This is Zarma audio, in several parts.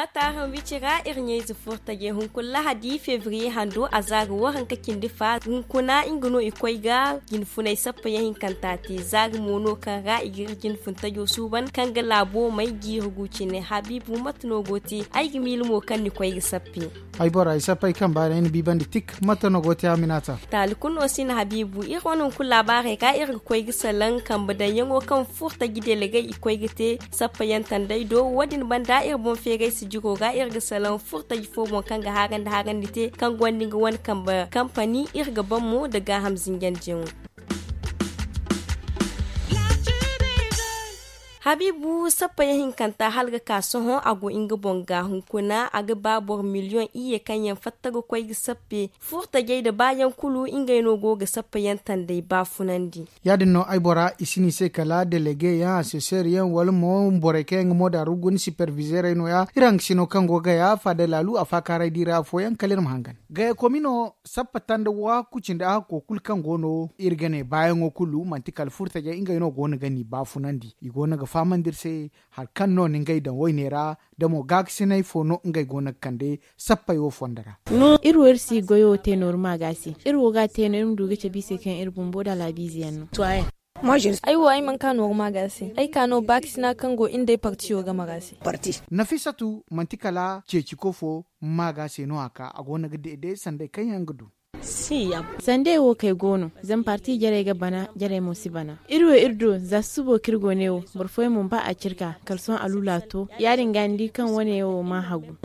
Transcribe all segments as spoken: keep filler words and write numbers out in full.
Ataaham wicira iri ɲayze furtajey hunkuna lahadi febriye hando a za ga waranka cindi fa hunkuna nga no i koy ga jinfunay sappa yaŋ hinkanta te za ga mo no kaŋ ra i ga iri jinfuntajo suuban kaŋ ga laabo may jiiri gu cine habiibu mate no go te? Ay ga miila mo kaŋ ni koy ga sappe. Ay bora ay sappe ay kamba ra ay na biibandi tik mate no go te a minaata. Taali kulu no si na habiibu iri wane hunkuna laabaarey ga iri ga koy ga salaŋ kambe daŋyaŋo kaŋ furtaji delegey i koy ga te sappa yaŋ tanday do wo- din banda iri boŋ feeray sijiro ga iri ga salaŋ furtaji fo boŋ kaŋ ga haarandi haarandi te kaŋ gonda nga wane kambe kampani iri ga baŋ mo nda gaaham zinjandiyaŋo. Habiibu sappa yaŋ hinkanta hala ga ka sohõ a go nga boŋ ga hunkuna a ga ba boro miliyoŋ iyye kaŋ yaŋ fatta ga koy ga sappe furtajey nda baayaŋ kulu ngey no go ga sappa yaŋ tanday baafunandi. Ya- din no ay bora i si no i se kala delege yaŋ aseseer yaŋ wala mo borey kaŋ yaŋ ga mooda rugu ni sipervizeerey no- ya iri hangasino kaŋ go ga gaya faada laalu a faakaaray diira afooyaŋ kala iri ma hangan. Gaya komino sappa tanda waaku cindi a hakko kulu kaŋ go no iri ga ne baayaŋo kulu manti kala furtajey ngey no go no ga ni baafunandi i go no ga fahamandi iri se hari kaŋ no ni ngey daŋ wayne ra da mo gaakasinay fo no ngey go no ga kande sappey wo fondo ra. Iri wo iri si goyo te nooru maaga se iri wo ga a te no iri ma du ga cabe i se kaŋ iri bumbo nda alaabiize yaŋ no. Ay wo ay mana ka nooru maaga se ay ka no baakasina kaŋ go iri nda ay partiyo game ra se. Nafisatu manti kala ceeciko fo maaga se no a ka a go no ga deede sanday kaŋ yaŋ ga du. Sandey wo kay go no zama parti jarey ga bana jarey mo si bana. Iri wo iri do za susubo kaŋ iri go ne wo boro fooyaŋ mo ba a ciri ka kala sohõ alula to ya- din ga ni di kaŋ wane wo ma hagu.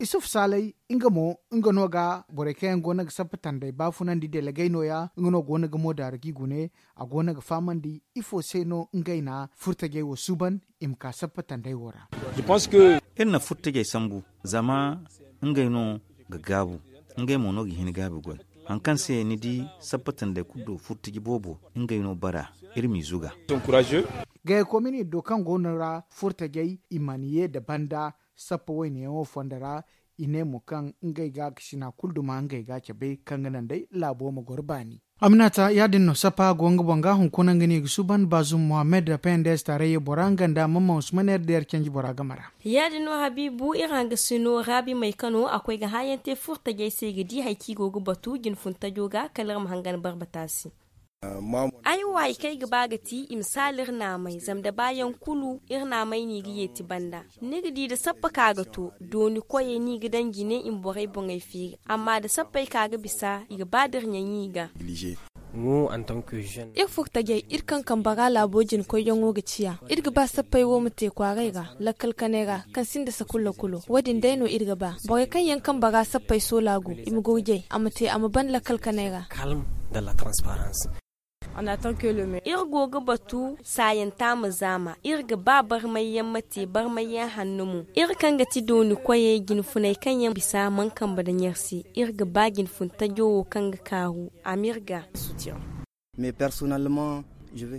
Isufu saalay nga mo nga no ga borey kaŋ yaŋ go no ga sappa tanday baafunandi delegey no- ya nga no go no ga moodaara g'i gune a go no ga fahamandi ifo se no ngey na furtajey wo suuban i ma ka sappa tanday wo ra. Iri na furtajey sambu zama ngey no ga gaabu ngey mo no ga hin gaabi goy. Hari kaŋ se ni di sappa tanday kulu do furtaji boobo ngey no bara iri m'i zuga. Gaya komini do kaŋ go no ra furtajey i mana ye nda banda sappa wayneyaŋo fondo ra i ne mo kaŋ ngey gaakasina kulu duma ngey ga cabe kaŋ ga naŋ day laabo ma goro baani. Aminata ya- din no sappa go nga boŋ ga hunkuna nga no i ga suuban baazum mohammed pnds taarayya bora nga nda mamman usman r d r canji bora game ra. Ya- din no habiibu iri hangasino raabi may kano a koy ga hãayaŋ te furtajey se i ga di hari kaŋ i go ga batu jinfuntajo ga kala iri ma hangan barbata se. Ay wo hari kaŋ ay ga ba ga ti i ma saala iri naamay zama da baayaŋ kulu iri naamay no i ga yeeti banda. Ni ga di da sappa ka ga to dooni koyey no i ga daŋ jine i ma borey boŋey feeri amma da sappey ka ga bisa i ga ba da iri ɲaɲi i ga. Iri furtajey iri kaŋ kambe ra laabo jina koyyaŋo ga ciya iri ga ba sappey wo ma te kwaaray ra lakkal kanay ra kaŋ sinda sakulla kulo wo- din day no iri ga ba borey kaŋ yaŋ kambe ra sappey soola go i ma gurjay a ma te a ma ban lakkal kanay ra. Iri go ga batu saayanta ma zaama iri ga ba barmayyaŋ ma te barmayyaŋ hanno mo iri kaŋ ga ti dooni koyey jinfuney kaŋ yaŋ bisa mana kambe nda ɲarsi iri ga ba jinfun tajo wo kaŋ ga kaaru a ma iri ga.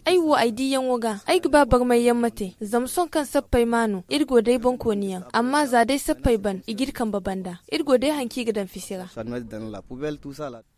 Ay wo ay diiyaŋo ga ay ga ba barmayyaŋ ma te zama sohõ kaŋ sappey ma no iri go day boŋkooniyaŋ amma za day sappey ban i g'iri kambe banda iri go day hari kaŋ i ga daŋ fisi ra.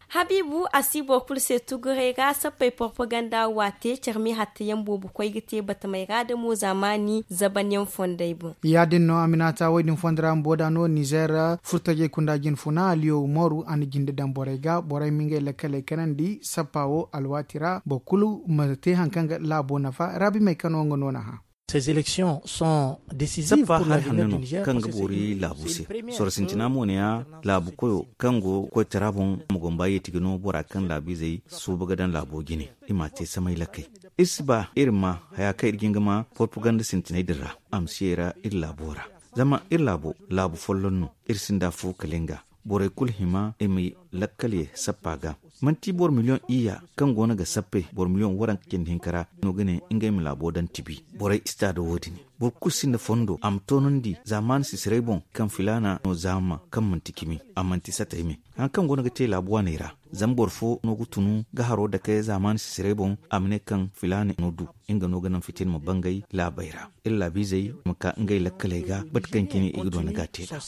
Habiibu a si boro kulu se tuguray ra sappey porpaganda wo a te care me hattayaŋ boobo koy ga te batamey ra da mo zaamaani zabanyaŋ fondey boŋ. Ya- din no a ma ne a ta wo- din fondo ra bumbo da no nizer furtajey kunda jinfuna aliyo umaru a na jinde daŋ borey ga borey ma ngey lakkaley kanandi sappa wo alwaati ra boro kulu ma te hari kaŋ ga laabo nafa raabimey kano nga no na hã. Sappa hari hanno no kaŋ ga boori laabu se. Soro sintina mo ne ya laabu koyo kaŋ go koytara boŋ ma gomba yeeti ga no bora kaŋ laabiizey suuba ga daŋ laabo jine i m'a te samay lakkey. Iri si ba iri ma haya kaŋ iri ga hin ga ma porpaganda sintiney din ra a ma si yay ra iri laabo ra. Zama iri laabo laabu folloŋ no iri sinda afo kala nga. Borey kulu hima i ma lakkal ye sappa ga. Manti boro miliyoŋ iyya kaŋ go no ga sappey boro miliyoŋ waranka cindi hinka ra no ga ne ngey ma laabo daŋ tibi. Borey si ta da wo- din boro kulu sinda fondo a ma toonandi zaamaani sisiray boŋ kaŋ filaana no zaama kaŋ manti cimi a manti satay me. Hari kaŋ go no ga te laabu waaney ra zama boro fo no ga tunu ga haro dake zaamaani sisiray boŋ a ma ne kaŋ filaana no du nga no ga naŋ fitina ma bangay laabey ra. Iri laabiizey ma ka ngey lakkaley ga mate kaŋ cine i ga doona ga a te nd'a.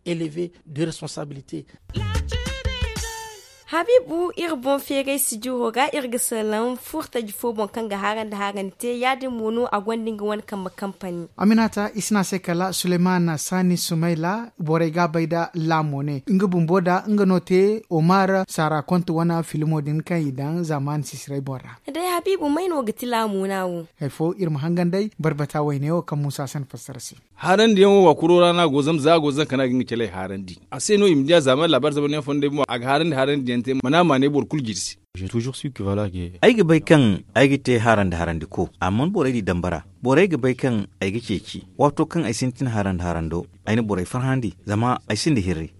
Élevé de responsabilité. Habiibu, iri boŋ feeray sijiro ra iri ga salaŋ furtaji fo boŋ kaŋ ga harandi harandi te ya- din mo no a gonda nga wane kambe kampani. Aminata i si ne a se kala suleymaana saani sumayla borey ga a bay nda laamo ne nga bumbo nda nga no te omar saara konte wane filmo din kaŋ i daŋ zaamaani sisiray boŋ ra. Day habiibu may no ga ti laamo ne a wo? Hari fo iri ma hangan day barbata wayne wo kaŋ muusa se na fassara se. Haarandiyaŋo wa kuro ra no a go zama za a go zanka no a ga nga caley haarandi a se no i ma di a zaamaani laabaari zamanyaŋ fondey boŋ a ga haarandi haarandiyaŋ te mana a maanay boro kulu jirsi. Ay ga bay kaŋ ay ga te haarandi haarandi ko amma borey di dambara borey ga bay kaŋ ay ga ceeci waato kaŋ ay sintin haarandi haarando ay na borey farhandi zama ay sinda hirri.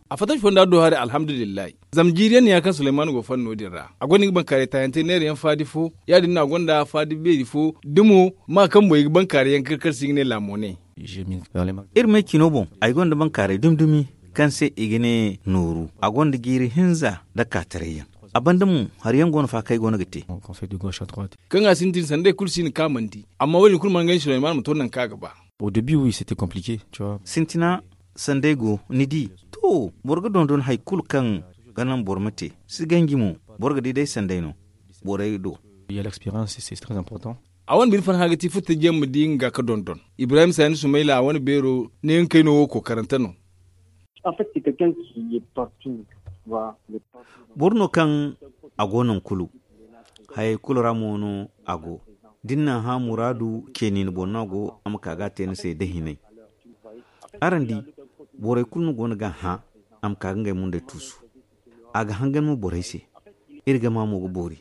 A fattaci fonda do hari alhamdulillahi. Zama jiiri yaŋ no ya kaŋ sulaymaana go fanda no- din ra a gonda nga bankaaray taayante neera yaŋ faadi fo ya- din no a gonda faadi beeri fo da mo ma kaŋ boŋ i ga bankaaray yaŋ kar kar se i ga ne laamo ne. Iri me cino boŋ ay gonda bankaaray dumi dumi kaŋ se i ga ne nooru a gonda jiiri hinza nda kaataray yaŋ. A banda mo hari yaŋ go no fa kaŋ ay go no ga te. Kaŋ a sintin sanday kulu si hin kaŋ a mana di. Amma wo- din kulu mana ngey sulaymaana ma to nangu kaŋ a ga ba. Sintina sanday go ni di. To boro ga dondon hari kulu kaŋ ga naŋ boro ma te si ganji mo. Boro ga di day sanday no borey do. A wane bine farhã ga ti furtajiyaŋ ma di nga ga dondon. Ibrahim saani sumayla a wane beero ne nga kayno wo kookarante no. Boro no kaŋ a go nangu kulu. Hayey kulu ra mo no a go. Da ni naŋ hã muraadu ceeni ni boŋ no a go a ma ka ga a te ni se da hinay. Araŋ di borey kulu no go no ga a hã a ma ka ga ngey mundey tuusu. A ga hangan mo borey se. Iri gama mo ga boori.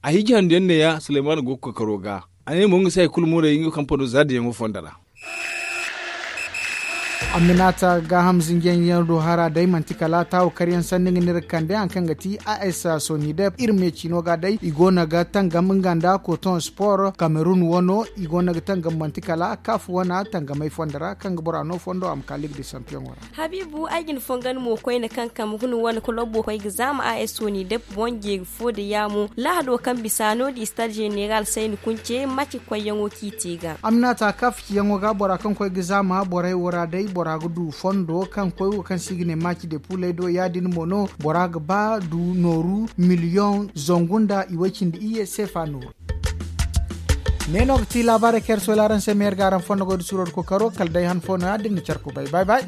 A hiiji handu yaŋ ne ya sulaymaana go ga kookaro ga. A ne mo nga se hari kulu muray nga kampano za diyaŋo fondo ra. Aminaata gaaham zinjiyaŋ yaŋ do hara day manti kala taawo karyaŋ sanni nga ne iri ga kande hari kaŋ ga ti a s sonidep iri me ciino ga day i go no ga tangam nga nda koton sport kamerun wano i go no ga tangam manti kala kaafu wana tangamay fondo ra kaŋ ga bora no fondo a ma ka ligue de champion wo ra. Habiibu ay ga ni fongan mo koyne kaŋ kamerun wane kolobo koy ga zaama a s sonidep boŋ jeeri fo da yaamo lahado kaŋ bisa no- din stade general sayni kunce maci koyyaŋo kaŋ i te ga. Aminata kaafu ciyaŋo ga bora kaŋ koy ga zaama borey wo ra day bora ga du fondo kaŋ koy wo kaŋ se i ga ne maci de puuley do ya- din mo no bora ga ba du nooru miliyoŋ zangu nda iway cindi iyye seefa nooru. Ne no ga ti laabaarey kaŋ iri sohila araŋ se ma yer ga araŋ fondo goy da suuro da kookaro kala day han fo no- ya da iri na care kubay bay bay.